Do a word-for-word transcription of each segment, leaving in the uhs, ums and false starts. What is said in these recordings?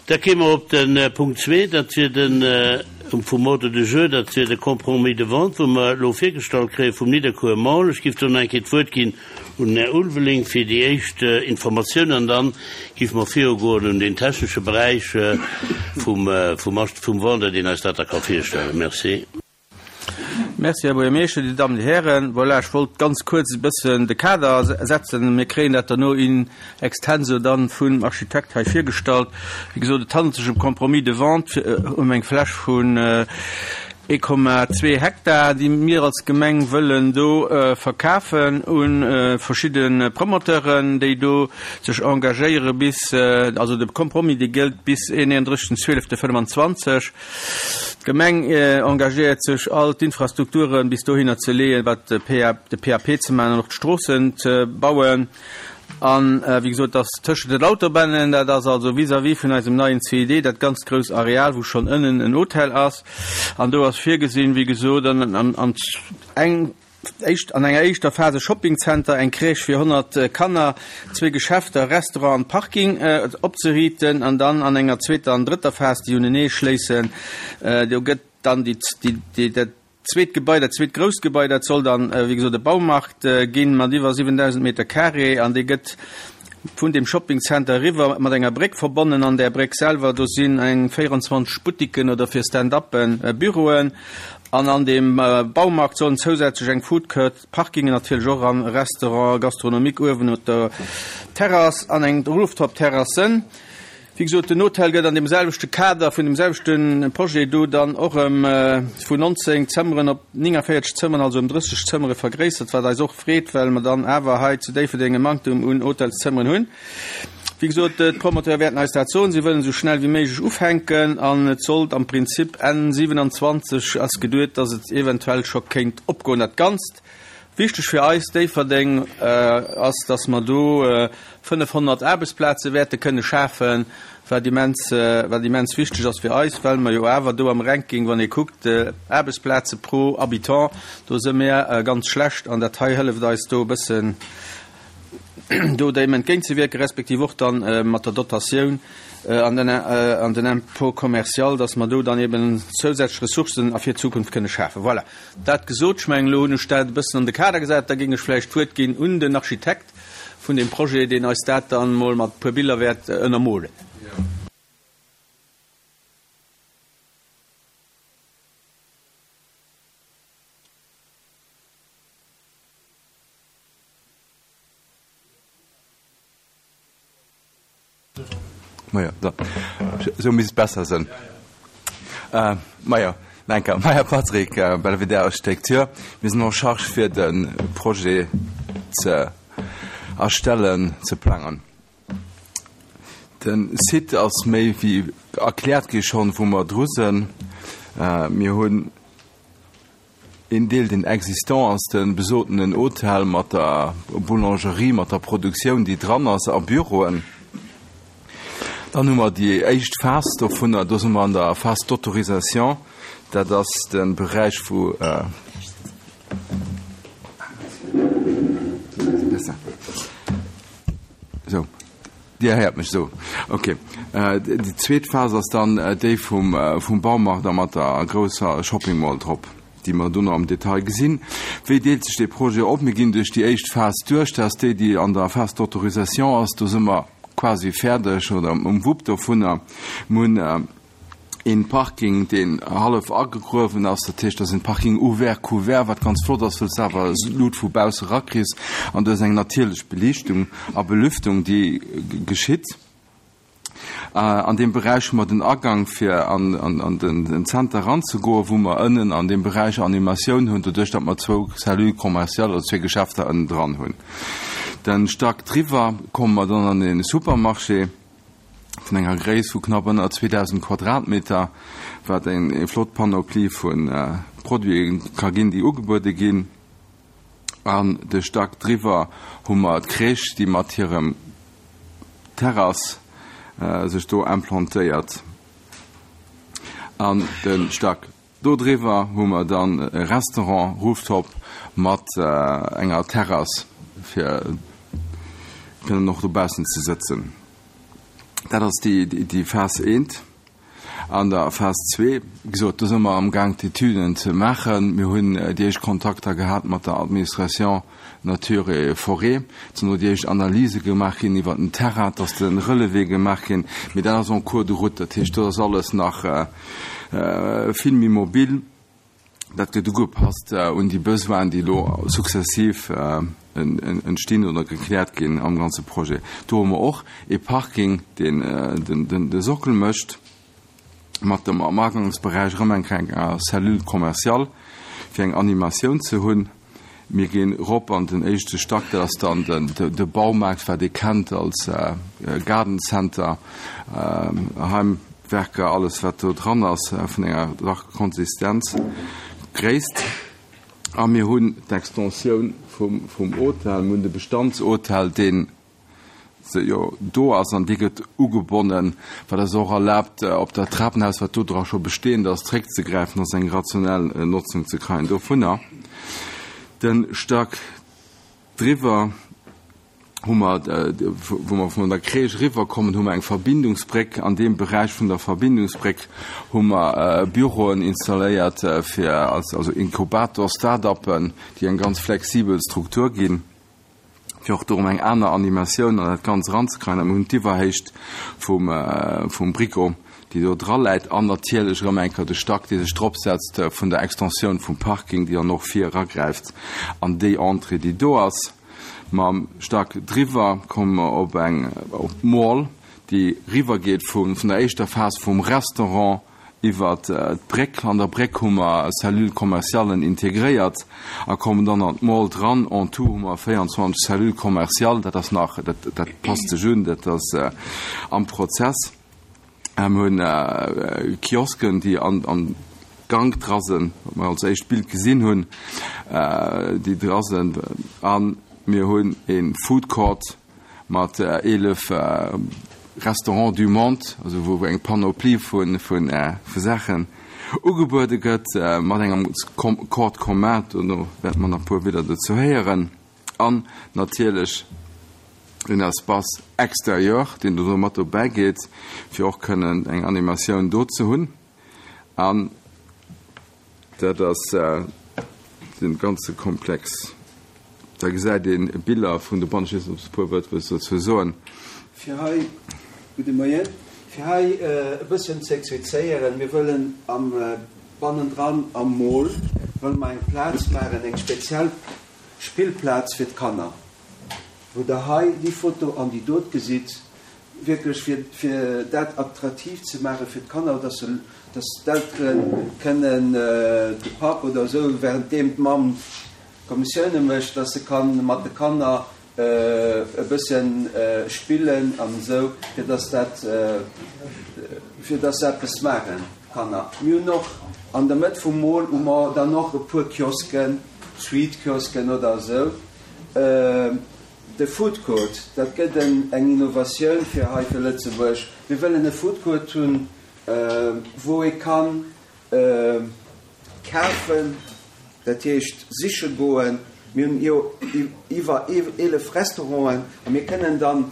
Da kéime mer op de Punkt zwee, dat wier de vum Ordre du jour, dat wier de Compromis de vente, wou mer elo virgestallt kréie vum Nidderkuer Mall. Ech géif do nach eng Kéier d'Wuert ginn un den Här Ulveling fir déi éischt Informatioun an dann géife mer virugoen un den technesche Beräich vum vum Vendeur, deen eis dat da ka virstellen. Merci. Merci, Här Buergermeeschter, Dir Dammen, Dir Hären. Voilà, ech wollt ganz kuerz e bëssen de Kader setzen. Mir kréien dat derno in extenso dann vum Architekt hei virgestallt. Wéi gesot, et handelt sech ëm Compromis de vente, ëm eng Fläch vun ee Komma zwee Hektar, déi mir als Gemeng wëllen do verkafen u verschidde Promoteuren, déi do sech engagéiere bis, also de Compromis, dee gëllt bis eenunddrëssegsten zwielefte fënnwanzwanzeg. D'Gemeng engagéiert sech, all d'Infrastrukture bis dohinner ze leeën, wat de P A P ze maachen an och d'Stroossen ze bauen. An wéi gesot, dass tëschent den Autobahnen, dat ass also vis-à-vis vun eisem neien C I D, dat ganz grouss Areal, wou schonn ënnen en Hotel ass. An do ass virgesinn, wéi gesot, an, an, an eng éischt, an enger éischter Phase Shoppingcenter, eng Crèche fir honnert Kanner, zwee Geschäfter, Restaurant an Parking opzeriiten. An dann an enger zweeter an drëtter Phas, déi unenee schléissen, do gëtt dann déi, déi, déi, dat zweet Gebai, dat zweet grousst Gebai, dat soll dann, wéi gesot, e Baumarkt ginn mat iwwer siwendausend Meter carré an dee gëtt vun dem Shoppingcenter eriwwer mat enger Bréck verbonnen. An där Bréck selwer, do sinn eng véierundzwanzeg Buttiken oder fir Stand-uppen Büroen. An an deem Baumarkt sollen zousätzlech eng Food Court, Parkingen natierlech och an Restaurant gastronomique uewen op der Terrass an eng Rooftop-Terrass sënn. Wéi gesot, den Hotel gëtt an deem selwechte Kader vun deem selwechte Projet do dann och ëm vun nonzéng Zëmmeren op néngavéierzeg Zëmmeren, also ëm drësseg Zëmmere vergréissert, wat eis och freet, well mer dann awer hei zu Déifferdeng e Manktum un Hotelszëmmeren hunn. Wéi gesot, d'Promoteure wäerten eis dat soen. Si wëllen esou schnell wéi méiglech ufänken an et sollt am Prinzip Enn siewenanzwanzeg ass geduet, dass et eventuell scho kéint opgoen, dat Ganzt. Wichteg fir eis Déifferdeng ass, dass mer do fënnefhonnert Aarbechtsplaze wäerte kënne schafen, wat immens, wat immens wichteg ass fir eis, well mer jo awer do am Ranking, wann ee kuckt, Aarbechtsplaze pro Habitant, do si mir ganz schlecht an dat hei hëlleft eis do e bëssen do deem entgéintzewierken, respektiv och dann mat der Dotatioun an den, an den Impôt commercial, dass mer do dann eben zousätzlech Ressourcen a fir d'Zukunft kënne schafen. Voilà. Dat gesot, ech mengen, elo hunn ech dat e bëssen an de Kader gesat, da géing ech vläicht d'Wuert ginn un den Architekt vun deem Projet, deen eis dat dann emol mat e puer Biller wäert ënnermolen. Majo, da sou misst et besser sënn. Majo, Lenker, Meyer Patrick, Belvedere Architecture. Mir sinn en charge fir de Projet ze erstellen, ze plangen. De Site ass méi wéi erkläert gi schonn, wou mer dru sinn. Mir hunn een Deel, deen existant ass, de besotenen Hotel mat der Boulangerie, mat der Produktioun, déi dran ass, a Büroen. Dann hu mer déi éischt Phas dovunner, do si mer an der Phase d'autorisation, dat ass de Beräich wou esou, Dir héiert mech esou, okay. Déi zweet Phas ass dann déi vum vum Baumarkt a mat der grousser Shopping Mall drop, déi mer dono am Detail gesinn. Wéi deelt sech dee Projet op? Mir ginn duerch déi éischt Phas duerch, dat ass déi, déi an der Phase d'autorisation ass. Do si mer quasi fäerdeg oder um Wupp dovunner. Mir hunn een Parking, deen hallef agegruewen ass, dat heescht, dat ass en Parking ouvert couvert, wat ganz flott ass, wëll s de awer Lut vu bausse rakriss an du hues eng natierlech Beliichtung a Belüftung, déi geschitt. An deem Beräich hu mer den Agang fir an an den Zenter eranzegoen, wou mer ënnen an deem Beräich Animatioun hunn, doduerch datt mer zwou Cellules commerciales oder zwee Geschäfter ënnen dran hunn. Den Stack driwwer komme mer dann an e Supermarché vun enger Gréisst vu knapp ënner zweedausend Quadratmeter, wat eng flott Panoplie vu Produite ka ginn, déi ugebuede ginn. An de Stack driwwer hu mer d'Crèche, déi mat hirem Terrass sech do implantéiert. An de Stack do driwwer hu mer dann e Restaurant Rooftop mat enger Terrass, fir kënnen och dobaussen ze sëtzen. Dat ass déi, déi Phas eent. An der Phas zwee, wéi gesot, do si mer amgaang d'Etüden ze maachen. Mir hunn déi éischt Kontakter gehat mat der Administration Nature et Forêt. Et sinn elo déi éischt Analyse gemaach ginn iwwert den Terrain, et ass de Relevé gemaach ginn. Mee dat ass en cours de route, dat heescht, do ass alles nach vill méi mobil. Dat gëtt ugepasst un déi Besoinen, déi elo sukzessiv entstinn oder gekläert ginn am ganze Projet. Do hu mer och ee Parking, deen de Sockel mécht, mat dem am Agangsberäich erëm eng kleng Cellule commerciale, fir eng Animatioun ze hunn. Mir ginn erop an den éischte Stack, dat ass dann de Baumaart, wat ee kennt als Garden Center, Heimwerker, alles wat do dran ass vun enger dach Konsistenz, Gréisst. A mir hunn d'Extensioun vum Hotel, mir hunn de Bestandshotel, deen jo do ass an dee gëtt ugebonnen, wat eis och erlaabt, op dat Trapenhaus, wat do dra scho bestehend ass, zréckzegräifen, ass eng rationell Notzung ze kréien dovunner. De Stack driwwer hu mer, wou mer vun der Crèche eriwwerkommen, hu mer eng Verbindungsbréck. An deem Beräich vun der Verbindungsbréck hu mer Büroen installéiert fir als, also Inkubator, Start-uppen, déi eng ganz flexibel Struktur ginn, fir och dorëm eng aner Animatioun an dat Ganzt eranzekreien. A mir hunn d'Iwwerhéicht vum, vum Brico, déi do draläit, an natierlech erëm eng Kéier de Stack, dee sech dropsetzt vun der Extensioun vum Parking, déi dann och vir eragräift an déi Entrée, déi do ass. Mam Stack driwwer komme mer op eng, op d'Mall, déi riwwergeet vun, vun der éischter Phas vum Restaurant iwwer d'Bréck. An der Bréck hu mer Cellule commercialen integréiert a kommen dann an d'Mall dran. En tout hu mer véierundzwanzeg Cellules commerciales. Dat ass nach, dat, dat passt sech un, dat ass am Prozess. Mir hunn Kiosken, déi an, am Gank dra sinn, wat mer als éischt Bild gesinn hunn, déi dra sinn. A mir hunn e Food Court mat eelef Restaurants du monde, also wou eng Panoplie vu vu vu Saachen ugebuede gëtt, mat engem Court commun, dono wäerte mer nach e puer Wieder dozou héieren, an natierlech en Espace extérieur, deen do mat dobäi geet, fir och kënnen eng Animatioun do ze hunn. An dat ass de ganze Komplex. Da gesäit een Biller vun de Bann. Ech weess net, ob s de e puer Wuert wëlls dozou soen. Fir hei, gudde Moien, fir hei e bësschen ze explizéieren, mir wëllen am bannendran am Mall wëlle mer eng Plaz maachen, eng speziell Spillplaz fir d'Kanner, wou Der hei déi Foto an déi dot gesitt, wierklech fir, fir dat attraktiv ze maache fir d'Kanner, dass se, dass d'Eltere kënnen de Papp oder esou, währenddeem d'Mamm Kommissioune mécht, dass se ka mat de Kanner e bëssen spillen an esou, fir dass dat, fir dass se eppes maachen, d'Kanner. Mir hunn och an der Mëtt vum Mall hu mer dann och e puer Kiosken, Sweet-Kiosken oder esou. De Food Court, dat gëtt eng Innovatioun fir hei fir Lëtzebuerg. Mir wëllen e Food Court hunn, wou ee kann kafen, dat heescht siche goen. Mir hunn jo iwwer eelef Restauranten a mir kënnen dann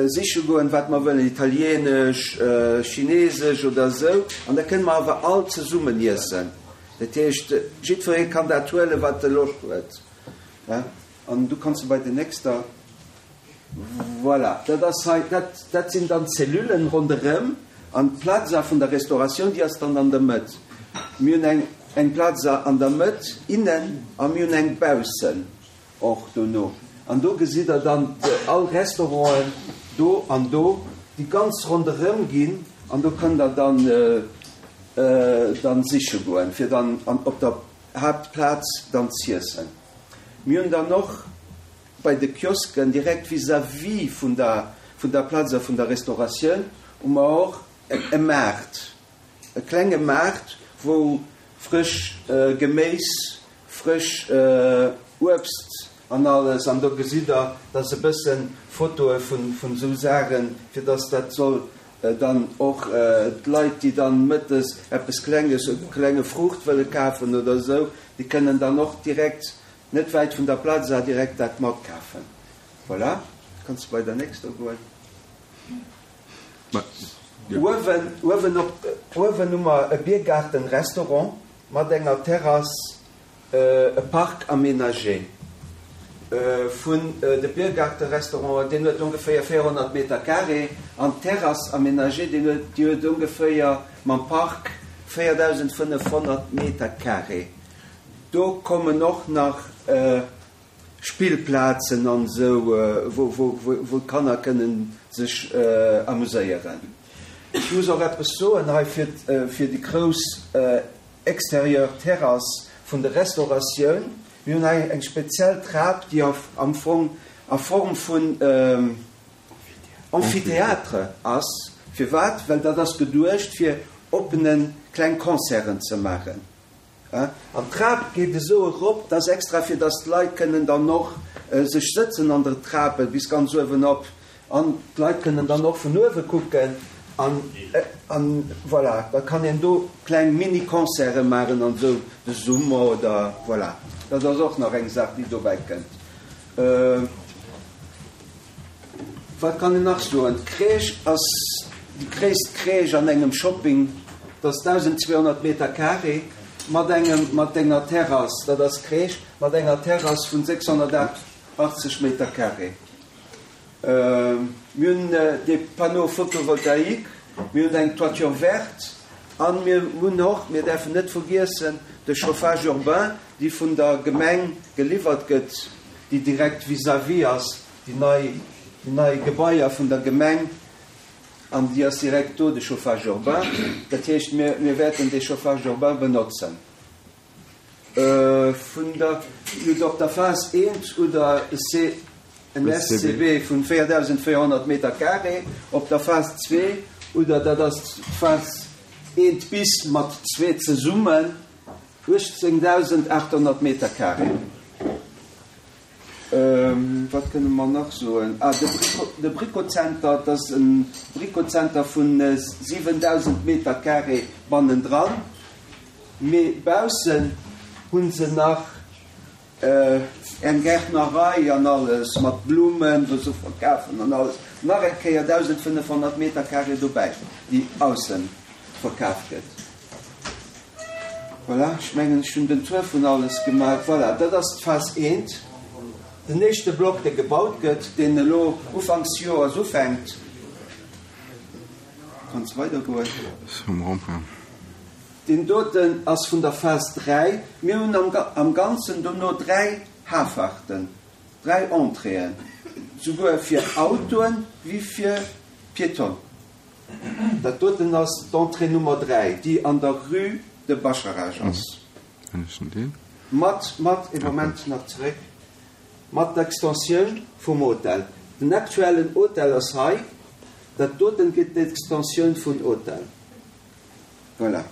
siche goen, wat mer wëllen, italienesch, chinesesch oder esou. An da kënne mer awer all zesummen iessen. Dat heescht, jiddweree kann dat huelen, wat e Loscht huet. An du kanns du bei der nächster. Voilà, dat ass hei, dat, dat sinn dann d'Cellullen ronderëm an d'Plaza vun der Restauratioun, déi ass dann an der Mëtt. Mir hunn eng, eng Plaza an der Mëtt innen a mir hunn eng baussen och dono. An do gesitt Der dann all Restauranten do an do, déi ganz ronderëm ginn an do kënnt Der dann, dann siche goen, fir dann an, op der Haaptplaz dann z'iessen. Mir hunn dann och bei de Kiosken direkt vis-à-vis vun der, vun der Plaza vun der Restauratioun hu mer och e Maart, e klenge Maart, wou frësch Geméis, frësch Uebst an alles, an do gesitt Der, dass e bëssen Fotoe vun, vun esou Saachen, fir dass dat soll dann och d'Leit, déi dann mëttes eppes Klenges, e klenge Fruucht wëlle kafen oder esou, déi kënnen dann och direkt net wäit vun der Plaza direkt dat matkafen. Voilà, kanns de bei der nächster goen. Uewen, uewen op, uewen hu mer e Biergarten-Restaurant mat enger Terrass, e Parc aménagé vun de Biergarten-Restaurant, deen huet ongeféier véierhonnert Meter carré, an d'Terrass aménagée, deen huet, déi huet ongeféier mam Parc véierdausendfënnefhonnert Meter carré. Do kommen och nach Spillplazen an esou, wou, wou, wou d'Kanner kënnen sech amuséieren. Ech muss och eppes soen hei fir, fir déi grouss extérieur Terrass vun der Restauratioun. Mir hunn hei eng speziell Trap, déi am Fong a Form vun Amphithéâtre ass. Firwat? Well dat ass geduecht, fir oppene kleng Concerten ze maachen. An d'Trap geet esou erop, dat ass extra, fir datt d'Leit kënnen dann och sech sëtzen an der Trape bis ganz uewen op. An d'Leit kënnen dann och vun uewe kucken. An, an voilà, da kann een do kleng Mini-Concerte maachen an esou de Summer oder voilà. Dat ass och nach eng Saach, déi dobäi kënnt. Wat kann een nach soen? D'Crèche ass déi gréisst Crèche an engem Shopping. Dat ass dausendzweehonnert Meter carré mat engem, mat enger Terrass, dat ass d'Crèche mat enger Terrass vun sechshonnertachtzeg Meter carré. Mir hunn des Panneaux photovoltaïques, mir hunn eng Toiture verte an mir hunn och, mir däerfen net vergiessen, de Chauffage urbain, déi vun der Gemeng geliwwert gëtt, déi direkt vis-à-vis ass, déi nei, déi nei Gebaier vun der Gemeng, an déi ass direkt do, de Chauffage urbain. Dat heescht, mir, mir wäerten dee Chauffage urbain benotzen. Vun der, op der Phas eent oder C, en S C B vun véierdausendvéierhonnert Meter carré, op der Phas zwee, oder dat ass d'Phas eent bis mat zwee zesummen, uechtzéngdausendachthonnert Meter carré. Wat kënne mer nach soen? Ah, de Brico, de Bricozenter, dat ass e Bricozenter vun siwendausend Meter carré bannendran, mee baussen hu se nach eng Gärtnerei an alles mat Blummen, wou se verkafen an alles, nach eng Kéier dausendfënnefhonnert Meter carré dobäi, déi aussen verkaf gëtt. Voilà, ech mengen, ech hunn den Tour vun alles gemaach. Voilà, dat ass d'Phas eent, den éischte Block, dee gebaut gëtt, deen elo ufanks Joers ufänkt. Kanns weidergoen. Deen doten ass vun der Phas dräi. Mir hunn am Ganzen dono dräi Hafarten, dräi Entréeën, souguer fir Autoen wéi fir Piétonen. Dat doten ass d'Entrée Nummer dräi, déi an der Rue de Bascharage ass. Mat, mat, ee Moment nach zeréck, mat der Extensioun vum Hotel. Den aktuellen Hotel ass hei. Dat doten gëtt d'Extensioun vun Hotel. Voilà.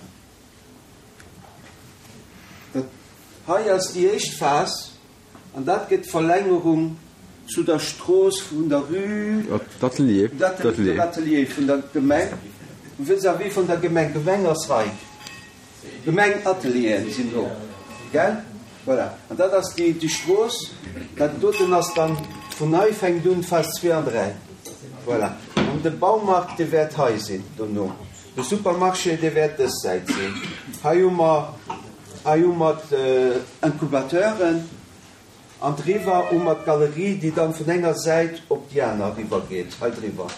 Dat hei ass déi éischt Phas an dat gëtt d'Verlängerung zu der Strooss vun der Rue d'Atelier. D'Atelier vun der Gemeng, vis-à-vis vun der Gemeng. Gemeng ass hei. Gemeng Atelieren sinn do. Gell? Voilà. An dat ass déi, déi Strooss. Dat doten ass dann, vun hei fänkt un d'Phas zwee an dräi. Voilà. An de Baumarkt, dee wäert hei sinn dono. De Supermarché, dee wäert dës Säit sinn. Hei hu mer, hei hu mer d'Incubateuren an driwwer hu mer d'Galerie, déi dann vun enger Säit op déi aner eriwwer geet, hei driwwer.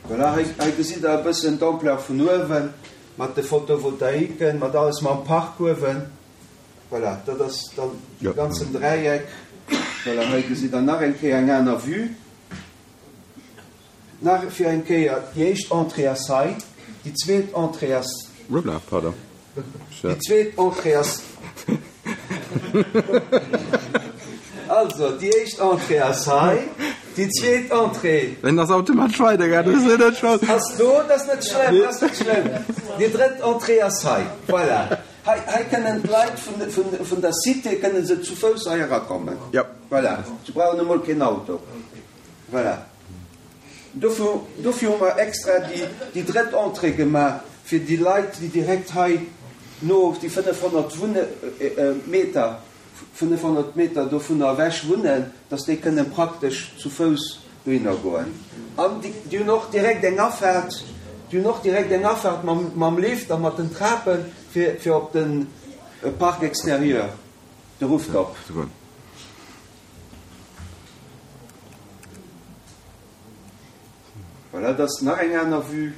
Voilà, hei, hei gesitt Der e bëssen d'Ampleur vun uewen, mat de Photovoltaiken, mat alles, mam Park uewen. Voilà, dat ass dann de ganzen Dräieck. Voilà, hei gesitt Der nach eng Kéier eng aner Vue. Nach fir eng Kéier, déi éischt Entrée ass hei, déi zweet Entrée ass. Hoppla, pardon. Déi zweet Entrée ass. Also, déi éischt Entrée ass hei, déi zweet Entrée. En ass automatesch weidergaangen, dat ass net schlëmm. Ass do, dat ass net schlëmm, dat ass net schlëmm. Déi drëtt Entrée ass hei, voilà. Hei, hei kënnen d'Leit vun, vun, vun der Cité kënnen se zu Fouss hei erakommen. Jo. Voilà, se brauchen emol keen Auto. Voilà. Dofir, dofir hu mer extra déi, déi drëtt Entrée gemaach, fir déi Leit, déi direkt hei no déi fënnefhonnert Wunne, Meter, fënnefhonnert Meter dovunner ewech wunnen, dass déi kënnen praktesch zu Fouss dohinner goen. An déi, déi hunn och direkt eng Afaart, déi hunn och direkt eng Afaart mam, mam Lift a mat den Trapen fir, fir op de Parc extérieur, de Rooftop. Voilà, dat ass nach eng aner Vue.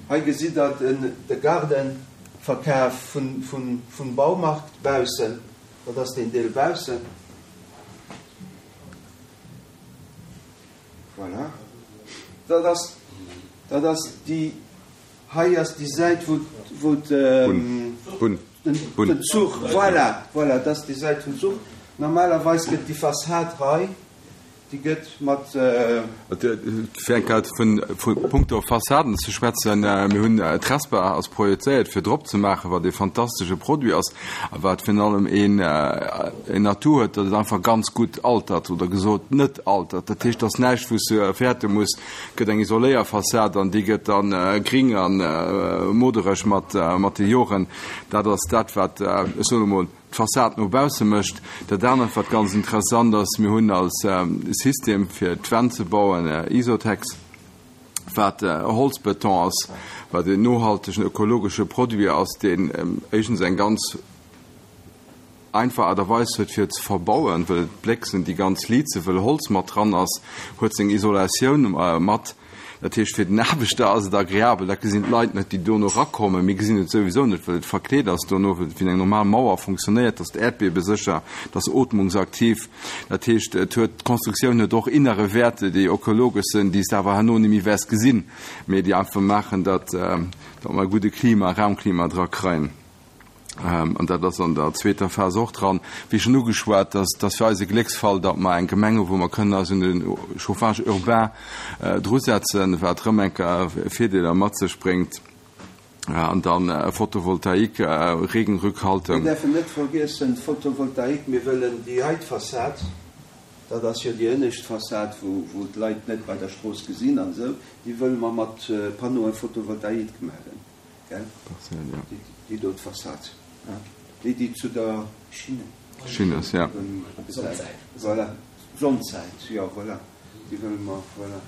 Hei gesitt Der den, de Gaardenverkaf vun, vun, vum Baumarkt baussen. Dat ass deen Deel baussen. Voilà. Dat ass, dat ass déi, hei ass déi Säit, wou, wou den, den Zuch, voilà, voilà, dat ass déi Säit vum Zuch. Normalerweis gëtt déi Fassad hei, déi gëtt mat. Fir eng Kéier vu punkto Fassaden ze schwätzen, Mir hunn d'Trespa ass projezéiert fir drop ze maachen, wat ee fantastesche Produit ass a wat virun allem een een Atout huet, datt et einfach ganz gutt altert oder gesot net altert. Dat heescht, et ass näischt wou s de fäerte muss, et gëtt eng Isoléierfassad an déi gëtt dann gring a modereg mat mat de Joren. Dat ass dat wat, ech soen emol, d'Fassad no bausse mécht. Dat anert, wat ganz interessant ass, mir hunn als System fir d'Wänn ze bauen Isotex, wat Holzbeton ass, wat en nohaltegen ökologesche Produit ass, deen éischtens eng ganz einfach Aart a Weis huet fir ze verbauen, well d'Bléck sinn déi ganz liit, wëll Holz mat dran ass, huet seng Isolatioun mat. Dat heescht, fir den Aarbechter ass et agreabel. Dat gesinn d'Leit net, déi dono erakommen. Mir gesinn et souwisou net, well et verkleet ass dono, well et wéi eng normal Mauer funktionéiert. Et ass äerdbiebesécher, et ass ootmungsaktiv. Dat heescht, et huet, d'Konstruktioun huet och innere Wäerte, déi ökologesch sinn, déi s de awer herno net méi wäers gesinn, mee déi einfach maachen, datt, datt mer e gudde Klima, Raumklima dra kréien. An dat ass an der zweeter Phas och dran. Wéi schonn ugeschwat, dat ass fir eis e Glécksfall, datt mer eng Gemeng hu wou mer kënnen eis un de Chauffage urbain drusetzen, wat erëm eng Kéier Virdeeler mat sech bréngt. An dann Photovoltaïque, Regenrückhaltung. Mir däerfen net vergiessen, d'Photovoltaïque, mir wëllen déi hei d'Fassad, dat ass jo déi ënnescht Fassad, wou d'Leit net bei der Strooss gesinn an esou, déi wëlle mer mat Panneauen photovoltaïques maachen. Gell? Partiell, ja. Déi do, d'Fassad, hein? Déi, déi zu der Schinne. Schinn ass, ja. Sonnsäit. Voilà, Sonnsäit, jo, voilà. Déi wëlle mer, voilà.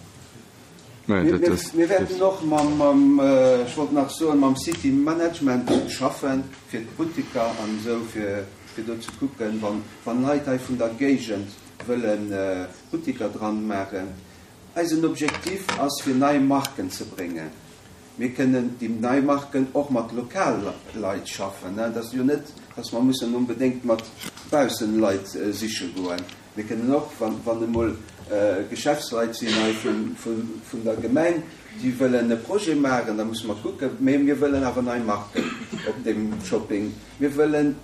Mä Mir, dat ass. mir wäerten och mam, mam, ech wollt nach soen, mam City Management schaffen, fir d'Butteker an esou, fir, fir do ze kucken, wann, wann Leit hei vun der Géigend wëlle Butteker dran maachen. Eisen Objektiv ass, fir nei Marken ze bréngen. Mir kënnen déi nei Marken och mat Lokalleit schaffen. Et ass jo net, dass mer mussen onbedéngt mat Baussenleit siche goen. Mir kënnen och, wann emol Geschäftsleit sinn hei vun der Gemeng, déi wëllen e Projet maachen, da musse mer kucken. Mee mir wëllen awer nei Marken op deem Shopping. Mir wëllen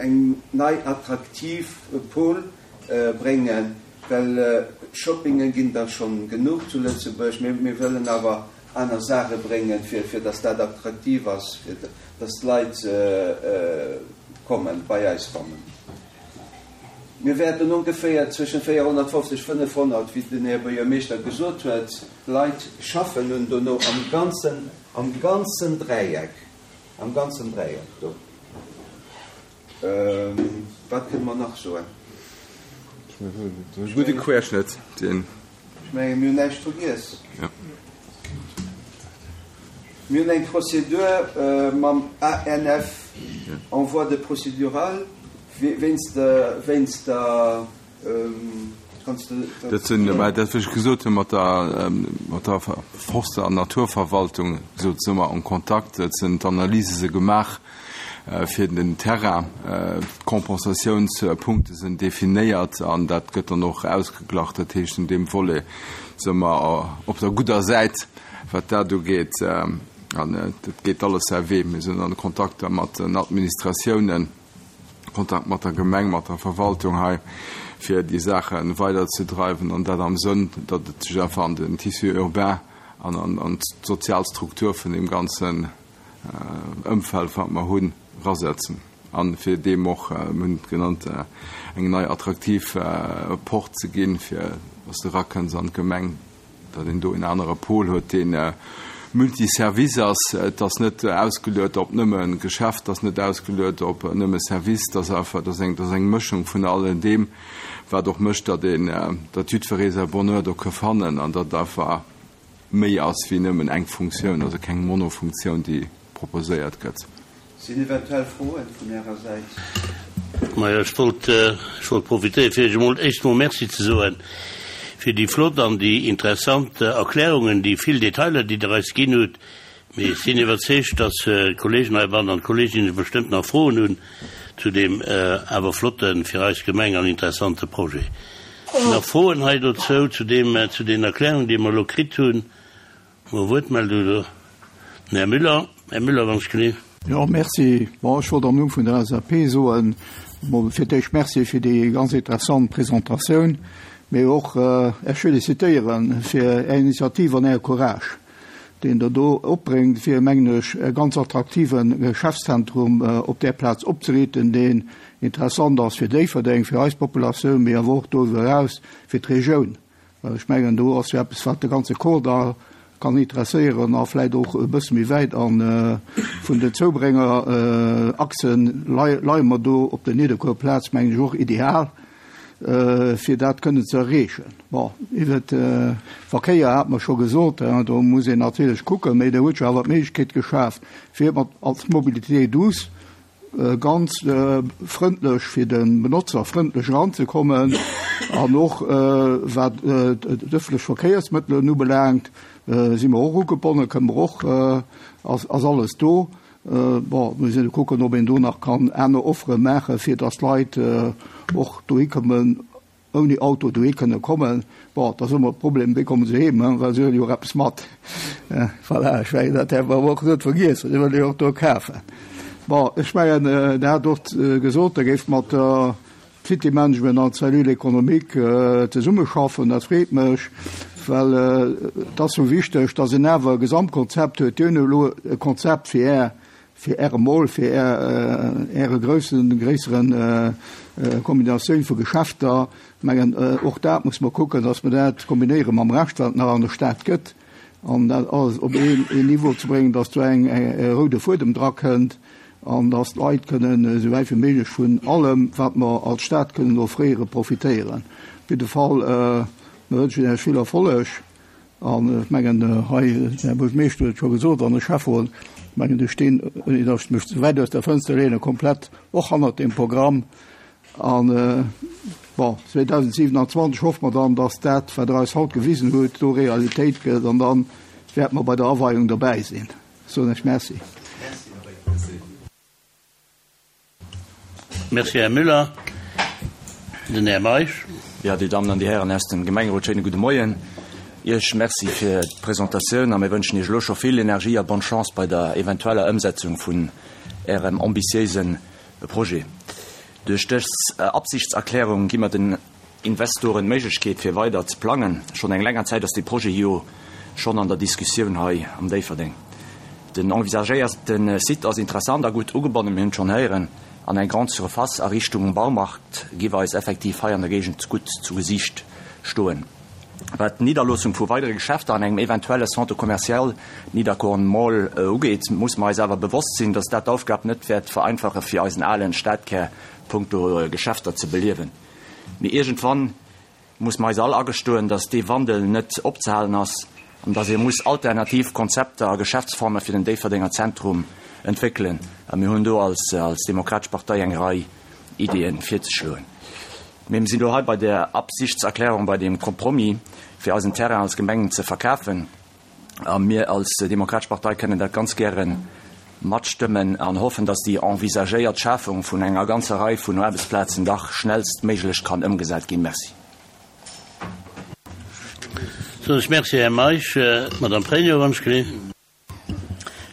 eng nei attraktiv Pôle bréngen, well Shoppinge ginn der schonn genuch zu Lëtzebuerg. Mee mir wëllen awer aner Saache bréngen, fir fir dass dat attraktiv ass, fir dass d'Leit kommen, bei eis kommen. Mir wäerten ongeféier zwëschen véierhonnertfofzeg, fënnefhonnert, wéi den Här Buergermeeschter gesot huet, Leit schaffen hunn dono am ganzen, am ganzen Dräieck, am ganzen Dräieck do. Wat kënne mer nach soen? E gudde Querschnëtt, deen. Ech mengen, mir hunn näischt vergiess. Mir hunn eng Prozedur mam A N F en voie de procédurale wéinst wéinst der, kanns de dat. Dat sinn, mä dat wat ech gesot hunn, mat der mat der Forst an Naturverwaltung, esou si mer en Kontakt. Et sinn d'Analyse se gemaach fir den Terrain. D'Compensatiounspunkte sinn definéiert an dat gëtt dann och ausgeglach. Dat heescht, un deem Volet si mer op der gudder Säit, wat dat ugeet. An dat geet alles säi Wee. Mir sinn an Kontakter mat den Administratiounen, Kontakt mat der Gemeng, mat der Verwaltung hei, fir déi Saache weiderzedreiwen, an dat am Sënn, datt et sech einfach an den Tissu urbain an an d'sozial Struktur vun deem ganzen Ëmfeld, wat mer hunn, erasetzen an fir deem och, mir hunn et genannt, eng nei attraktiv Porte ze ginn, fir dass de erakënns an d'Gemeng, datt een do en anere Pol huet, dee Multiservice ass, et ass net ausgeluet op nëmme Geschäft, ass net ausgeluet op nëmme Service, dat ass einfach, dat ass eng, dat ass eng Mëschung vun allen deem, wat och mécht, datt een, datt jiddweree säi Bonheur do ka fannen an datt einfach méi ass wéi nëmmen eng Funktioun, also keng Monofunktioun, déi proposéiert gëtt. Sinn eventuell Froen vun Ärer Säit? Majo, ech wollt, ech wollt profitéieren, fir Iech emol éischt emol Merci ze soen fir déi flott an déi interessant Erklärungen, déi vill Detailer, déi Der eis ginn hutt. Mee ech sinn iwwerzeegt, dass d'Kollegen heibannen an d'Kolleeginnen bestëmmt nach Froen hunn zu deem awer flotten, fir eis Gemeng an interessante Projet. Nach Froen hei dozou, zu deem, zu den Erklärungen, déi mer elo kritt hunn? Mol Wuertmeldung do. Den Här Müller. Här Müller, wann ech gelift. Jo, merci. Bon, ech wollt am Numm vun der L S A P soen, mol fir d'éischt Merci fir déi ganz interessant Presentatioun, mee och Iech félicitéiere fir Är Initiativ an Äre Courage, deen Der do opbréngt, fir, mengen ech, e ganz attraktive Geschäftszentrum op där Plaz opzeriichten, deen interessant ass fir Déifferdeng, fir eis Populatioun, mee awer och doriwwer eraus fir d'Regioun. Well ech mengen, do ass jo eppes, wat de ganze Kordall kann interesséieren a vläicht och e bësse méi wäit. A vun den Zoubréngerachsen leie mer do op der Nidderkuer Plaz, mengen ech, och ideal, fir dat kënnen ze erreechen. Bon, iwwer de Verkéier hat mer scho gesot, do muss een natierlech kucken, mee Der hutt jo awer d'Méiglechkeet geschaaft, fir mat als Mobilité douce ganz frëndlech fir de Benotzer frëndlech eranzekommen an och wat d'ëffentlech Verkéiersmëttelen ubelaangt, si mer och ugebonnen, kënne mer och, ass ass alles do. Bon, muss een kucken, ob een do nach kann aner Offere maachen, fir datt d'Leit och dohi kommen, ouni Auto dohi kënne kommen. Bon, da ass ëmmer de Problem, wéi komme se heem, well se huele jo och eppes mat. Voilà, ech mengen, dat däerf mer awer och net vergiessen, se wëlle jo och do kafen. Bon, ech mengen, Der hat och gesot, Der géift mat der City Management an Cellule économique zesummeschaffen. Dat freet mech, well et ass sou wichteg, datt een awer e Gesamtkonzept huet. Dir hutt elo e Konzept fir Är, fir Äre Mall, fir Är, Äre groussen, gréisseren Kombinatioun vu Geschäfter. Ech mengen, och dat muss mer kucken, datt mer dat kombinéiere mam Rescht, wat et nach an der Stad gëtt, an dat alles op een, een Niveau ze bréngen, datt do eng, e roude Fuedem drakënnt an datt d'Leit kënnen esou wäit wéi méiglech vun allem, wat mer als Stad kënnen offréieren, profitéieren. Op jidde Fall, mer wënschen Iech vill Erfolleg an ech mengen, hei, den Här Buergermeeschter huet et scho gesot an de Schäfferot, ech mengen, ech stinn, ouni datt ech mech ze wäit aus der Fënster leenen, komplett och hannert deem Programm. An, bon, zweedausendsiewenanzwanzeg hoffe mer dann, datt dat, wat Der eis haut gewisen hutt, do Realitéit gëtt an da wäerte mer bei der Aweiung dobäi sinn. Soen ech Merci. Merci, Här Müller. Den Här Meisch. Jo, Dir Dammen an Dir Hären aus dem Gemengerot, schéine gudde Moien. Iech Merci fir d'Presentatioun a mir wënschen Iech elo scho vill Energie a bonne Chance bei der eventueller Ëmsetzung vun Ärem ambitiéise Projet. Duerch dës Absichtserklärung gi mer den Investoren d'Méiglechkeet fir weider ze plangen. Schonn eng länger Zäit ass dee Projet jo schonn an der Diskussioun hei am Déifferdeng. Den envisagéierte Site ass interessant a gutt ugebonnen, mir hunn et schonn héieren, an eng Grande Surface a Richtung Baumarkt giff eis effektiv hei an der Géigend gutt zu Gesiicht stoen. Wat d'Nidderloossung vu weidere Geschäfter an engem eventuelle Centre commercial Nidderkorn Mall ugeet, musse mer eis awer bewosst sinn, dass dat d'Aufgab net wäert vereinfache fir eisen alen Stadkär punkto Geschäfter ze beliewen. Mee iergendwann muss mer eis all agestoen, dass dee Wandel net opzehalen ass an dass ee muss alternativ Konzepter a Geschäftsforme fir den Déifferdenger Zentrum entwéckelen. A mir hunn do als als Demokratesch Partei eng Rei Ideeën virzeschloen. Mee mir sinn elo hei bei der Absichtserklärung, bei deem Compromis, fir eisen Terrain als Gemeng ze verkafen. A mir als Demokratesch Partei kënnen dat ganz gäre matstëmmen an hoffen, dass déi envisagéiert Schafung vun enger ganzer Rei vun Aarbechtsplazen dach schnellstméiglech kann ëmgesat ginn. Merci. Soen ech Merci, Här Meisch. D'Madame Pregno, wann ech gelift.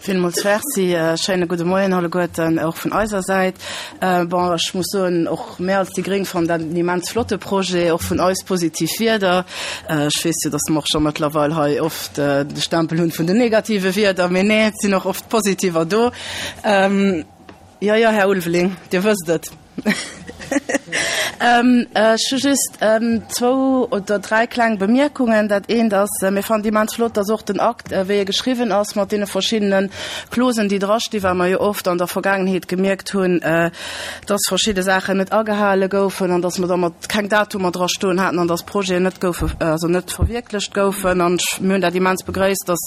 Villmools Merci. Schéine gudde Moien alleguerten, och vun eiser Säit. Bon, ech muss soen, och mär als déi Gréng fannen dat en immens flotte Projet, och vun eis positiv Wierder. Ech weess jo, dass mer och scho mëttlerweil hei oft de Stempel hunn vun den negative Wierder, mee nee, et sinn och oft positiver do. Jo, jo, Här Ulveling, Dir wësst et. Ech hu just zwou oder dräi kleng Bemierkungen. Dat eent ass, mir fannen et immens flott, dass och den Akt, wéi e geschriwwen ass, mat deene verschiddene Clausen, déi drastinn, well mer jo oft an der Vergaangenheet gemierkt hunn, dass verschidde Saachen net agehale goufen an dass mer da mat keng Datumer drastoen haten an dass Projeten net goufe, also net verwierklecht goufen. An mir hunn dat immens begréisst, dass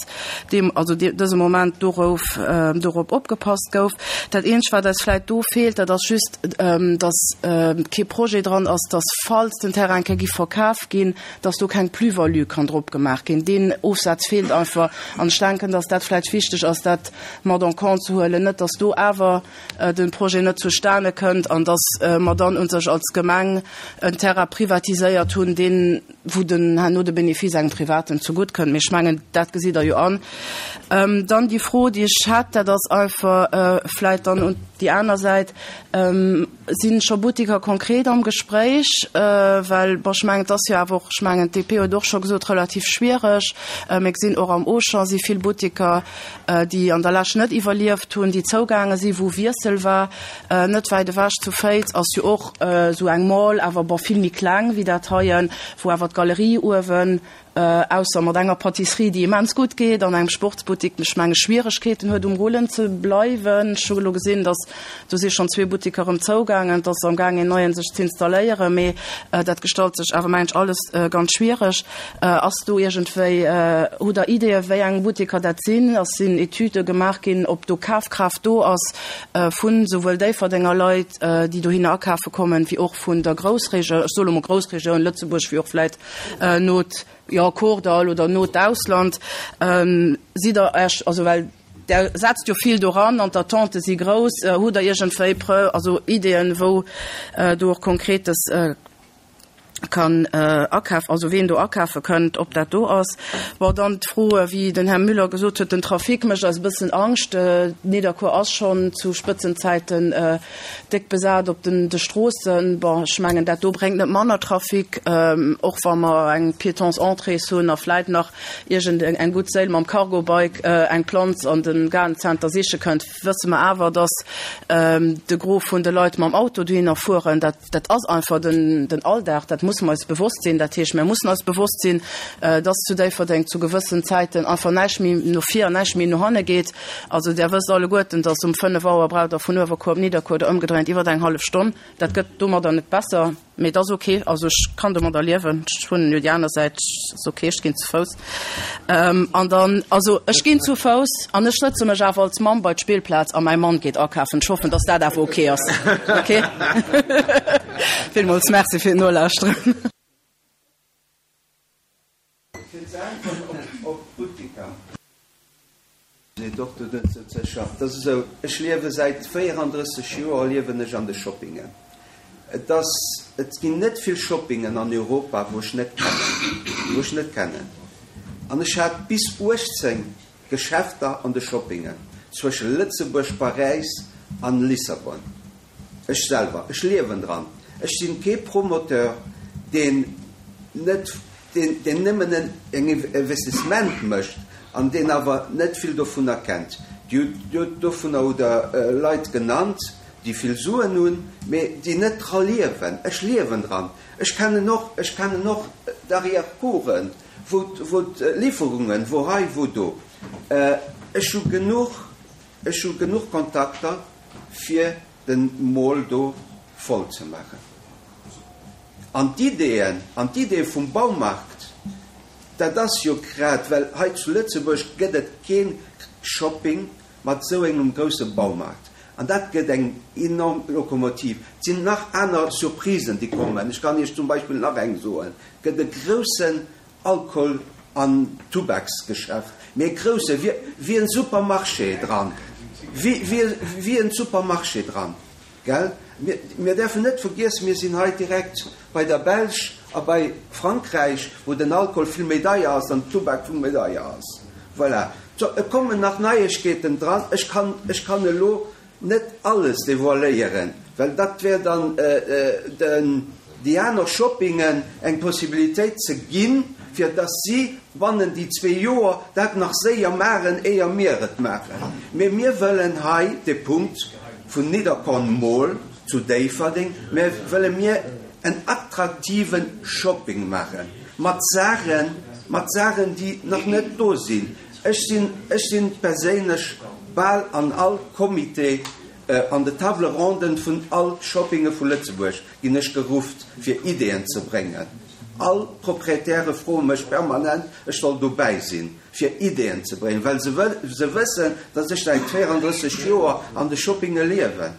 deem, also dëse Moment dorouf, dorop opgepasst gouf. Dat eenzegt, wat eis vläicht do feelt, dat ass just, dass kee Projet dran ass, dass falls den Terrain eng Kéier giff verkaf ginn, dass do keng Plus-value kann drop gemaach ginn. Deen Ofsaz feelt einfach an ech denken, dass dat vläicht wichteg ass, dat mat en compte ze huelen, net dass do awer de Projet net zustane kënnt an dass mer dann un sech als Gemeng en Terrain privatiséiert hunn, deen, wou den herno de Benefice engem Privaten zegutt kënnt. Mee ech mengen, dat gesitt Der jo an. Dann déi Fro, déi ech hätt, dat ass einfach vläicht dann un déi aner Säit, Si scho Buttiker konkret am Gespréich? Well, bon, ech mengen, et ass jo awer och, ech mengen, d'D P huet och scho gesot, relativ schwiereg. Mir gesinn och am Auchan si vill Buttiker, déi an der Lescht net iwwerlieft hunn, déi zougaange sinn, wou Wiessel war. Net wäit ewech zu Féiz ass jo och esou eng Mall, awer bon, vill méi kleng wéi dat heien, wou awer d'Galerie uewen, ausser mat enger Pâtisserie, déi immens gutt geet, an engem Sportsbuttik, ech menge Schwieregkeeten huet um Rullen ze bleiwen. Ech hu elo gesinn, datt do si schonn zwee Buttiker erëm zougaangen, et ass amgaang een neien sech z'installéieren, mee dat gestalt sech awer mengen ech alles ganz schwiereg. Ass do iergendwéi, hutt Der Ideeë wéi eng Buttiker dat sinn? Ass sinn Etüde gemaach ginn, ob do Kafkraaft do ass vun souwuel Déifferdenger Leit, déi dohinner akafe kommen, wéi och vun der Groussregioun, ech soe lo mol Groussregioun Lëtzebuerg, wéi och vläit not, jo, Kordall oder not Ausland? Sidd Der Iech, also well Der setzt jo vill doran an d'Attente si grouss, hutt Der iergendwéi Preu, also Ideeën, wou do och Konkretes kann akaf, also ween do akafe kënnt, ob dat do ass? Bon, dann d'Fro, wéi den Här Müller gesot huet, den Trafic mécht eis e bëssen Angscht. Nidderkuer ass schonn zu Spëtzenzäiten déck besat op den de Stroossen. Bon, ech mengen, dat do bréngt net manner Trafic, och wa mer eng Piétons entrées hunn a vläit nach iergend eng gutt Séil mam Cargo-Bike eng Planz an de Garden-Center siche kënnt, wësse mer awer, dass de Gros vun de Leit mam Auto dohinner fueren. Dat, dat ass einfach den, den Alldag, dat musse mer eis bewosst sinn. Dat heescht, mir mussen eis bewosst sinn, dass zu Déifferdeng zu gewëssen Zäiten einfach näischt méi no vir an näischt méi no hanne geet. Also Der wësst alleguerten, dass um fënnef Auer braucht Der vun Uewerkuer op Nidderkuer oder ëmgedréint iwwer eng hallef Stonn. Dat gëtt domadder net besser. Mee et ass ok, also ech kann domadder liewen, ech wunnen jo déi aner Säit, ass ok, ech ginn zu Fouss. An dann, also ech ginn zu Fouss an ech sëtze mech awer als Mamm bei d'Spillplaz a mäi Mann geet akafen. Ech hoffen, dass dat awer ok ass. Ok? Villmools Merci fir d'Nolauschteren. Fir ze äntweren op d'Buttiker. Seet och do net sou sécher. Et ass esou, ech liewe säit véierandrësseg Joer liewen ech an de Shoppingen. Et ass, et ginn net vill Shoppingen an Europa, wou ech net kennen, wou ech net kennen. An ech hat bis uechtzéng Geschäfter an de Shoppingen, zwësche Lëtzebuerg, Paräis an Lissabon. Ech selwer, ech liewen dran. Ech sinn kee Promoteur, deen net, deen, deen nëmmen en Investissement mécht an deen awer net vill dovunner kennt. Dir hutt dovunner hutt Der Leit genannt, déi vill Suen hunn, mee déi net dra liewen. Ech liewen dran. Ech kennen och, ech kennen och d'Arrière-coursen, wou, wou d'Liwwerungen, wou hei, wou do. Ech hu genuch, ech hu genuch Kontakter, fir den Mall do voll ze maachen. An d'Ideeën, an d'Ideeë vum Baumarkt, dat ass jo grad, well hei zu Lëtzebuerg gëtt et kee Shopping mat esou engem grousse Baumarkt. An dat gëtt eng enorm Lokomotiv. Et sinn nach aner Surprisen, déi kommen. Ech kann Iech zum Beispill nach eng soen, Et gëtt e groussen Alkohol an Tubaksgeschäft, mee e grousse, wéi en Supermarché dran, wéi en Supermarché dran, gell? Mir däerfen net vergiessen, mir sinn hei direkt bei der Belsch a bei Frankräich, wou den Alkohol vill méi deier ass an den Tubak vill méi deier ass. Voilà. Et kommen nach Neiegkeeten dran. Ech kann, ech kann elo Net alles devoiléieren, well dat wär dann den déi aner Shoppingen eng Possibilitéit ze ginn, fir dass si bannen déi zwee Joer dat nach séier maachen, éier mir et maachen. Mee mir wëllen hei de Punkt vun Nidderkorn Mall zu Déifferdeng, mir wëlle mir en attraktive Shopping maachen, mat Saachen, mat Saachen, déi nach net do sinn. Ech sinn, ech sinn perséinlech bal an all Comité, an de Table ronden vun all Shoppinge vu Lëtzebuerg ginn ech gerufft, fir Ideeën ze bréngen. All Proprietäre froe mech permanent, ech soll dobäi sinn, fir Ideeën ze bréngen, well se wëll, se wëssen, datt ech säit véierandrësseg Joer an de Shoppinge liewen.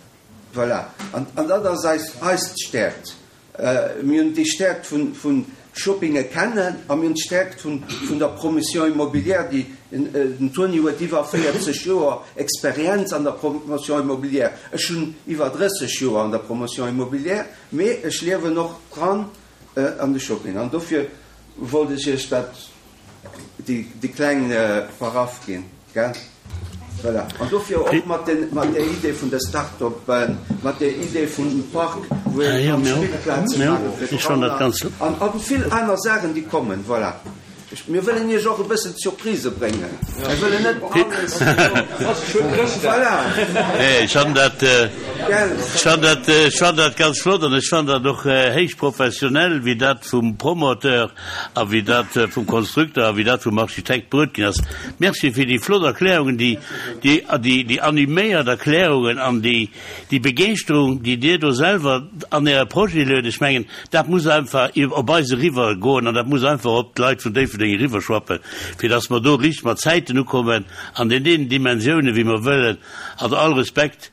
Voilà. An, an dat ass eis, eis Stäerkt. Mir hunn déi Stäerkt vun, vun Shoppinge kennen a mir hunn d'Stäerkt vun, vun der Promotion immobilière, déi, den Toni huet iwwer véierzeg Joer Experienz an der Promotion immobilière, ech hunn iwwer drësseg Joer an der Promotion immobilière, mee ech liewen och dran an de Shopping. An dofir wollt ech Iech dat, déi, déi kleng Paraff ginn, gell? Voilà. An dofir och mat den, mat där Idee vun de Start-upen, mat där Idee vun dem Park, wou ee kann Spillplaze maache fir d'Kanner an a vill aner Saachen, déi kommen. Voilà. Mir wëllen Iech och e bëssen Surprisë bréngen. Mir wëllen net alles. Voilà. Ech fannen dat, ech fannen dat, ech fannen dat ganz flott an ech fannen dat och héich professionell, wéi dat vum Promoteur a wéi dat vum Konstrukteur a wéi dat vum Architekt bruet ginn ass. Merci fir déi flott Erklärungen, déi, déi, déi, déi animéiert Erklärungen an déi, déi Begeeschterung, déi Dir do selwer an Äre Projet luet. Ech mengen, dat muss einfach op eis eriwwer goen an dat muss einfach op d'Leit vun Déifferdeng eriwwerschwappen, fir dass mer do richteg mat Zäiten ukommen an den deenen Dimensiounen, wéi mer wëllen. Also all Respekt.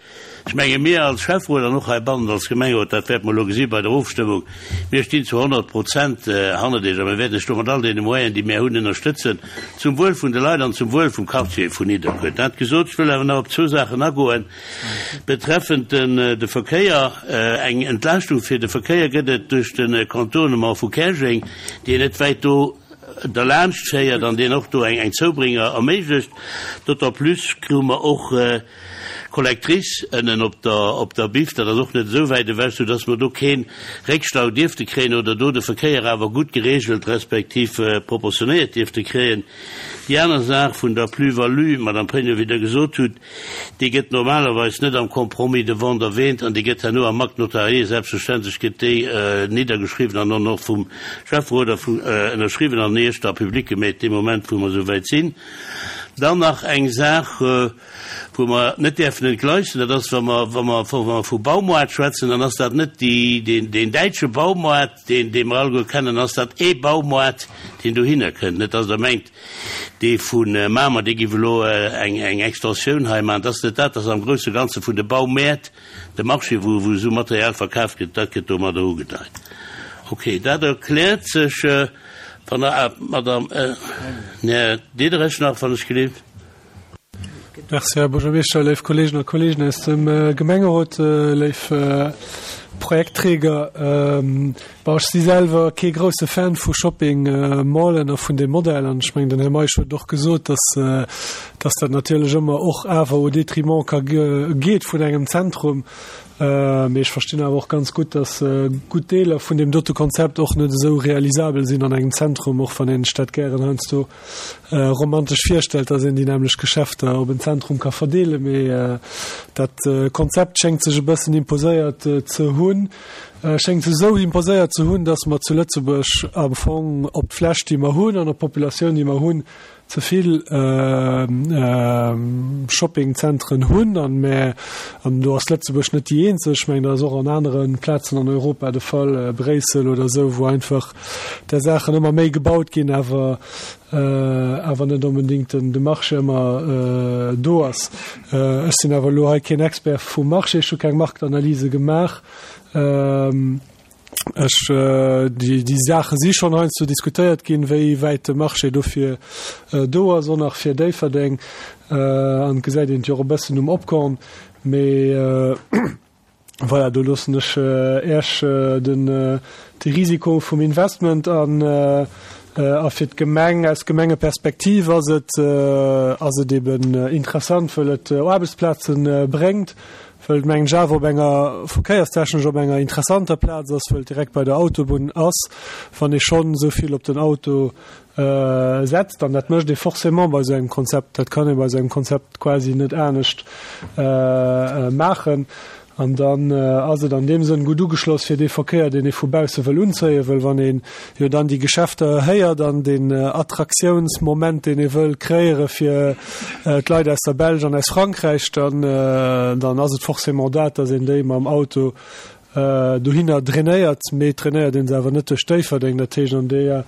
Ech menge mir als Schäfferot an och heibannen als Gemengerot, dat wäerte mer elo gesi bei der Ofstëmmung, mir stinn zu honnert Prozent hannert Iech a mir wäerten Iech do mat all deene Moyenen, déi mir hunn, ënnerstëtzen, zum Wuel vun de Leit an zum Wuel vum Quartier vun Nidderkuer. Dat gesot, ech wëll awer nach op zwou Saachen agoen betreffend de Verkéier. Eng Entlaaschtung fir de Verkéier gëtt et duerch de Contournement vu Käerjeng, deen net wäit do derlaanscht féiert an deen och do eng Zoubringer erméiglecht. D'autant plus krute mer och d'Collectrice ënnen op der op der Biff, dat ass och net esou wäit ewech, soudass mer do kee Réckstau dierfte kréien oder do de Verkéier awer gutt geregelt respektiv proportionéiert dierfte kréien. Déi aner Saach vun der Plus-value, Madame Pregno, wéi Der gesot hutt, déi gëtt normalerweis net am Compromis de vente erwähnt an déi gëtt herno am Acte notarié selbstverständlech gëtt déi niddergeschriwwen an dann och vum Schäfferot ënnerschriwwen an Iech da public gemeet dee Moment, wou mer esou wäit sinn. Dann nach eng Saach, wou mer net däerfen entgleisen, dat ass, wa mer, wa mer, wa mer vu Baumoart schwätzen, dann ass dat net déi, deen, deen däitsche Baumoart, deen, dee mer alleguer kennen, dann ass dat ee Baumoart, deen dohinner kënnt. Net dass Der mengt, dee vu Mamer, dee giff elo eng, eng Extensioun hei maachen. Dat ass net dat, dat ass am grousse Ganze vun de Baumäert, de Marché, wou, wou esou Material verkaaft gëtt, dat gëtt domadder ugedeit. Okay, dat erkläert sech. Wann Der, ah, Madame, Här Diderich nach, wann ech gelift. Merci, Här Buergermeeschter, léif Kolleegen a Kolleegen aus dem Gemengerot, léif Projektträger. Bon, ech si selwer kee grousse Fan vu Shopping Mallen a vun deem Modell an ech mengen, den Här Meisch huet och gesot, dass, dass dat natierlech ëmmer och awer au détriment ka geet vun engem Zentrum. Mee ech verstinn awer och ganz gutt, dass gutt Deeler vun deem dote Konzept och net esou realisabel sinn an engem Zentrum, och wann een sech dat gären heiansdo romantesch virstellt, dass een déi nämmlecht Geschäfter op en Zentrum ka verdeelen. Mee dat Konzept schéngt sech e bëssen imposéiert ze hunn, schéngt sech esou imposéiert ze hunn, dass mer zu Lëtzebuerg am Fong op d'Fläch, déi mer hunn, an op d'Populatioun, déi mer hunn, ze vill Shoppingzentren hunn an mä an do ass Lëtzebuerg net déi eenzeg, ech mengen dat ass och an anere Plazen an Europa de Fall, Bréissel oder esou, wou einfach där Saachen ëmmer méi gebaut ginn, awer awer net onbedéngt den de Marché ëmmer do ass. Ech sinn awer elo hei keen Expert vum Marché, ech hu keng Marktanalyse gemaach. Ech, déi, déi Saache si schonn heiansdo diskutéiert ginn, wéi wäit de Marché dofir do ass, och nach fir Déifferdeng. An et gesäit een et jo och e bëssen um Opkorn. Mee voilà, do loossen ech Iech den, de Risiko vum Investment an, a fir d'Gemeng, aus Gemengeperspektiv ass et, ass et eben interessant, wëll et Aarbechtsplaze bréngt, wëll et mengen ech awer op enger, verkéierstechnesch op enger interessanter Plaz ass, wëll et direkt bei der Autobunn ass, wann ee schonn esou vill op den Auto setzt, an dat mécht ee forcément bei esou engem Konzept, dat kann ee bei esou engem Konzept quasi net anescht maachen. An dann ass et an deem Sënn gutt ugeschloss fir dee Verkéier, deen ee vu bausse wëll unzéien, wëll wann een jo dann déi Geschäfter héiert an deen Attraktiounsmoment, deen ee wëll kreéiere fir d'Leit aus der Belsch an aus Frankräich, dann, dann ass et forcément dat, dass een déi mam Auto dohinner drainéiert. Mee et drainéiert ee se awer net duerch Déifferdeng. Dat heescht, an deeër,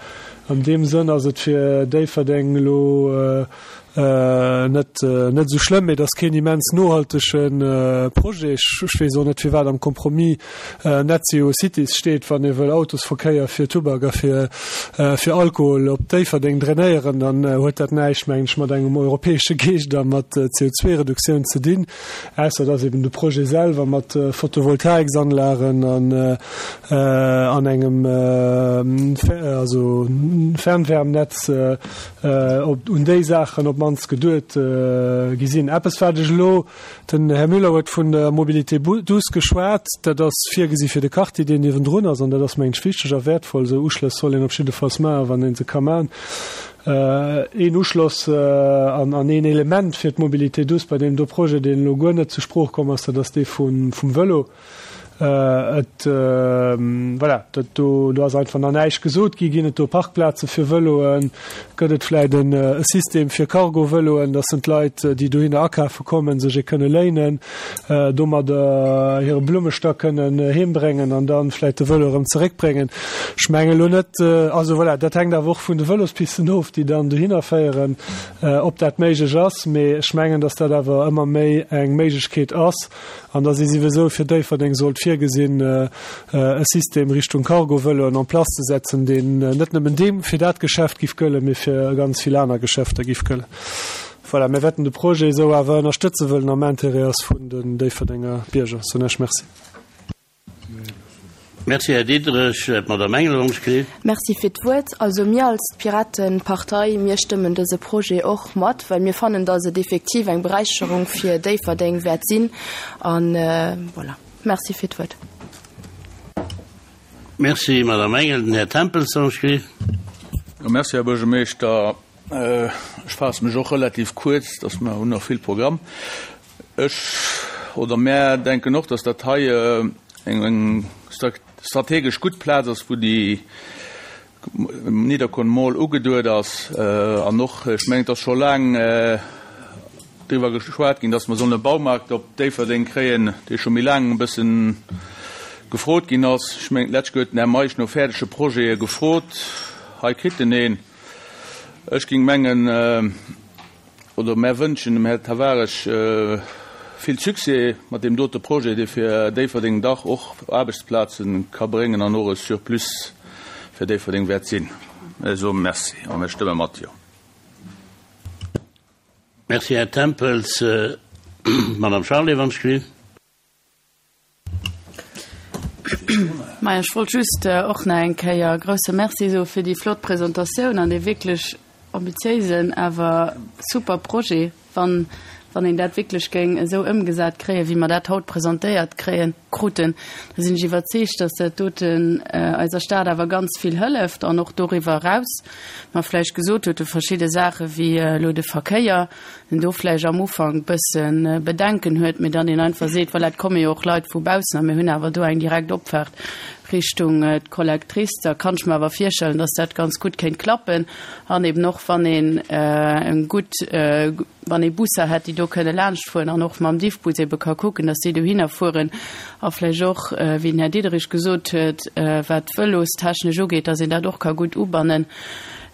an deem Sënn ass et fir Déifferdeng elo net, net esou schlëmm. Mee et ass keen immens nohaltege Projet. Ech weess och net, firwat am Compromis Net Zero Cities steet, wann ee wëll Autosverkéier fir Tubak a fir, fir Alkohol op Déifferdeng drainéieren, dann huet dat näischt, mengen ech, mat engem europäesche Geescht a mat C O zwei Reduktioun ze dinn. Ausser dass eben de Projet selwer mat Photovoltaiksanlagen an an engem also Fernwärmnetz op un déi Saachen op d'mannst geduet gi sinn. Eppes wat ech elo, den Här Müller huet vun der Mobilité douce geschwat, dat ass virgesi fir de Quartier deen niewendrun ass, an dat ass mengen ech wichteg a wäertvoll. Esou Uschlëss soll een op jiddefalls maachen, wann ee se ka maachen. Een Uschloss an an een Element fir d'Mobilité douce bei deem do Projet, deen elo guer net zur Sprooch komm ass, dat ass dee vum Vëlo. Et, voilà, dat do, do ass einfach nach näischt gesot gi. Ginn et do Parkplaze fir Vëloen? Gëtt et vläicht e System fir Cargo-Vëloen, dass en d'Leit, déi dohinner akafe kommen, sech ee kënne léinen, domadder hire Blummestack kënnen heembréngen an dann vläicht de Vëlo erëm zeréckbréngen? Ech menge elo net, also voilà, dat hänkt awer och vun de Vëlospisten of, déi dann dohinner féieren, ob dat méiglech ass. Mee ech mengen, dass dat awer ëmmer méi eng Méiglechkeet ass an dass ee souwisou fir Déifferdeng sollt virgesinn, e System Richtung Cargo-Vëloen en place ze setzen, deen net nëmmen deem fir dat Geschäft giff gëllen, mee fir ganz vill aner Geschäfter giff gëllen. Voilà, mir wäerten de Projet esou awer ënnerstëtzen, wëll en am Intérêt ass vun den Déifferdenger Bierger. Soen ech Merci. Merci, Här Diderich. D'Madame Engel ons kritt. Merci fir d'Wuert. Also mir als Piratenpartei, mir stëmmen dëse Projet och mat, well mir fannen, dass et effektiv eng Beräicherung fir Déifferdeng wäert sinn. An voilà. Merci fir d'Wuert. Merci, Madame Engel. Den Här Tempels ons kritt. Merci, Här Buergermeeschter. Ech faasse mech och relativ kuerz, dass mer hunn nach vill Programm. Ech oder mär denken och, dass dat hei eng strategesch gutt Plaz ass, wou déi Nidderkuer Mall ugeduet ass. An och, ech mengen, et ass scho laang driwwer geschwat ginn, dass mer sollen e Baumarkt op Déifferdeng kréien, dee scho méi laang e bëssen gefrot ginn ass. Ech mengen, d'lescht Joer huet den Här Meisch no fäerdege Projete gefrot. Hei kritt en een. Ech géing mengen, oder mär wënschen dem Här Tavares vill Succès mat deem dote Projet, dee fir Déifferdeng dach och Aarbechtsplaze ka bréngen an och e Surplus fir Déifferdeng wäert sinn. Mir soe Merci a mir stëmme mat Jo. Merci, Här Tempels. Madame Charlé, wann ech gelift. Maja, ech wollt just och nach eng Kéier grouse Merci soe fir déi flott Presentatioun an dee wierklech ambitiéisen, awer super Projet. Wann, wann een dat wierklech géing esou ëmgesat kréien, wéi mer dat haut presentéiert kréien, kruten, da sinn ech iwwerzeegt, dass dat doten eiser Stad awer ganz vill hëlleft an och doriwwer eraus. Mer vläicht gesot huet, verschidde Saache wéi elo de Verkéier, den do vläicht am Ufank bësse Bedenken huet, mee dann een einfach seet, voilà, et komme jo och Leit vu baussen a mir hunn awer do eng direkt Opfaart Richtung d'Collectrice, da kann ech mer awer virstellen, dass dat ganz gutt kéint klappen. An eben och wann een eng gutt, wann ee Busser hätt, déi do kënne laanschtfueren an och mam Diffbus ebe ka kucken, dass déi dohinner fueren a vläicht och, wéi den Här Diderich gesot huet, wat d'Vëlostechnesch ugeet, dass een dat och ka gutt ubannen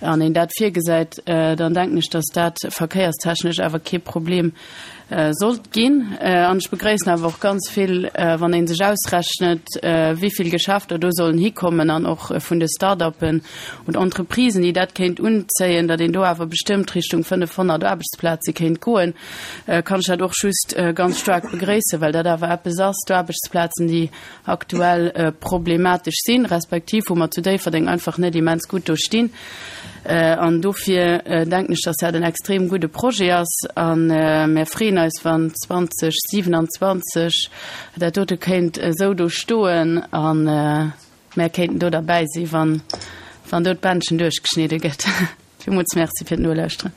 an een dat virgesäit, dann denken ech, dass dat verkéierstechnesch awer kee Problem sollt ginn. An ech begréissen awer och ganz vill, wann ee sech ausrechnet, wéi vill Geschäfter do sollen hikommen an och vun de Start-uppen und Entreprisen, déi dat kéint unzéien, datt een do awer bestëmmt Richtung fënnefhonnert Aarbechtsplaze kéint goen, kann ech dat och just ganz staark begréissen, well dat awer eppes ass, d'Aarbechtsplazen, déi aktuell problematesch sinn, respektiv wou mer zu Déifferdeng einfach net immens gutt do stinn. An dofir denken ech, dass dat en extrem gudde Projet ass. A mir freeën eis, wann zwanzeg siewenundzwanzeg dat dote kéint esou do stoen a mär kéinten do derbäi sinn, wann, wann do d'Bändchen duerchgeschnidde gëtt. Villmools Merci fir d'Nolauschteren.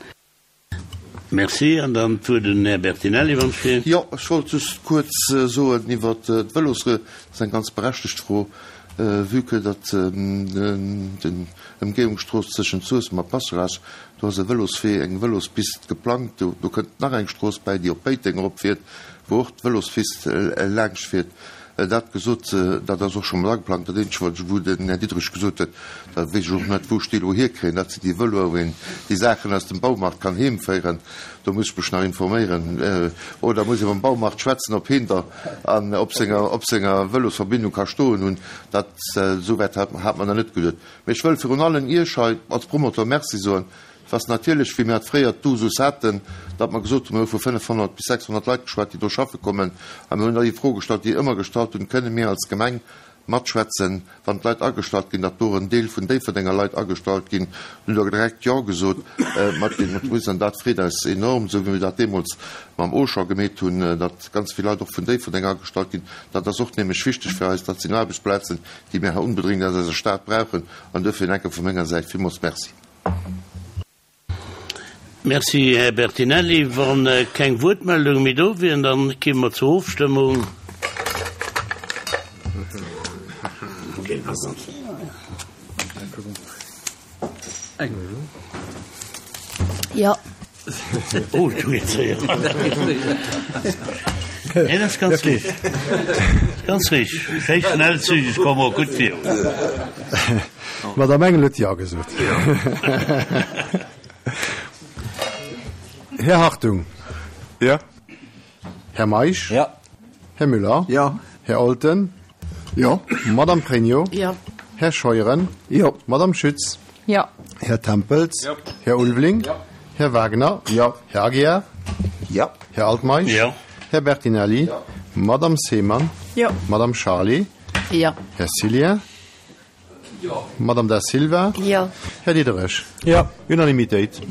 Merci. An dann d'Wuert un den Här Bertinelli, wann ech fir. Jo, ech wollt just kuerz soen iwwert d'Vëlosrue, dat ass eng ganz berechtegt Fro, vue que datt den Ëmgéiungsstrooss tëschent Suessem a Passerage, do ass e Vëloswee, eng Vëlospist geplangt, do do kënnt nach eng Strooss bäi, déi op Péiteng eropfiert, wou och d'Vëlospist laangscht fiert. Dat gesot, dat ass och scho mat ageplangt. Dat eenzegt, wat ech, wou den Här Diderich gesot huet, da weess ech och net, wou ech déi elo hierkréien, dat sinn déi Vëloer, wou een déi Saachen aus dem Baumarkt kann heemféieren. Do muss ech mech nach informéieren. Oder muss ee mam Baumarkt schwätzen, ob heen der an op senger, op senger Vëlosverbindung ka stoen hunn. Dat, esou wäit hat, hat mer nach net geduet. Mee ech wëll virun allen Iech hei als Promoteur Merci soen. Et ass natierlech, wéi mir dat fréier d'Usus haten, datt mer gesot hunn, mir hu vu fënnefhonnert bis sechshonnert Leit geschwat, déi do schaffe kommen, a mir hunn da déi Fro gestallt, déi ëmmer gestallt hunn, Kënne mir als Gemeng matschwätzen, wann d'Leit agestallt ginn, datt do och en Deel vun Déifferdenger Leit agestallt ginn? Hunn der direkt Jo gesot mat den Entreprisen, an dat freet eis enorm, esou wéi mir dat deemools mam Auchan gemeet hunn, datt ganz vill Leit och vun Déifferdeng agestallt ginn. Dat ass och nämlech wichteg fir eis. Dat sinn Aarbechtsplazen, déi mir hei onbedréngt aus eiser Stad brauchen, an duerfir enke vu menger Säit villmools Merci. Merci, Här Bertinelli. Wa keng Wuertmeldunge méi do wieren, da kéime mer zur Ofstëmmung. Jo. Oh, du geet séier. Nee, dat ass ganz richteg. Ganz richteg. Schéi schnell, zügeg, komme mer gutt virun. D'Madame Engel huet Jo gesot. Här Hartung. Jo. Här Meisch. Jo. Här Müller. Jo. Här Olten. Jo. Madame Pregno. Jo. Här Scheuren. Jo. Madame Schütz. Jo. Här Tempels. Jo. Här Ulveling. Jo. Här Wagner. Jo. Här Aguiar. Jo. Här Altmeisch. Jo. Här Bertinelli. Jo. Madame Seemann. Jo. Madame Charlé. Jo. Här Cillien. Jo. Madame Da Silva. Jo. Här Diderich. Jo. Unanimitéit.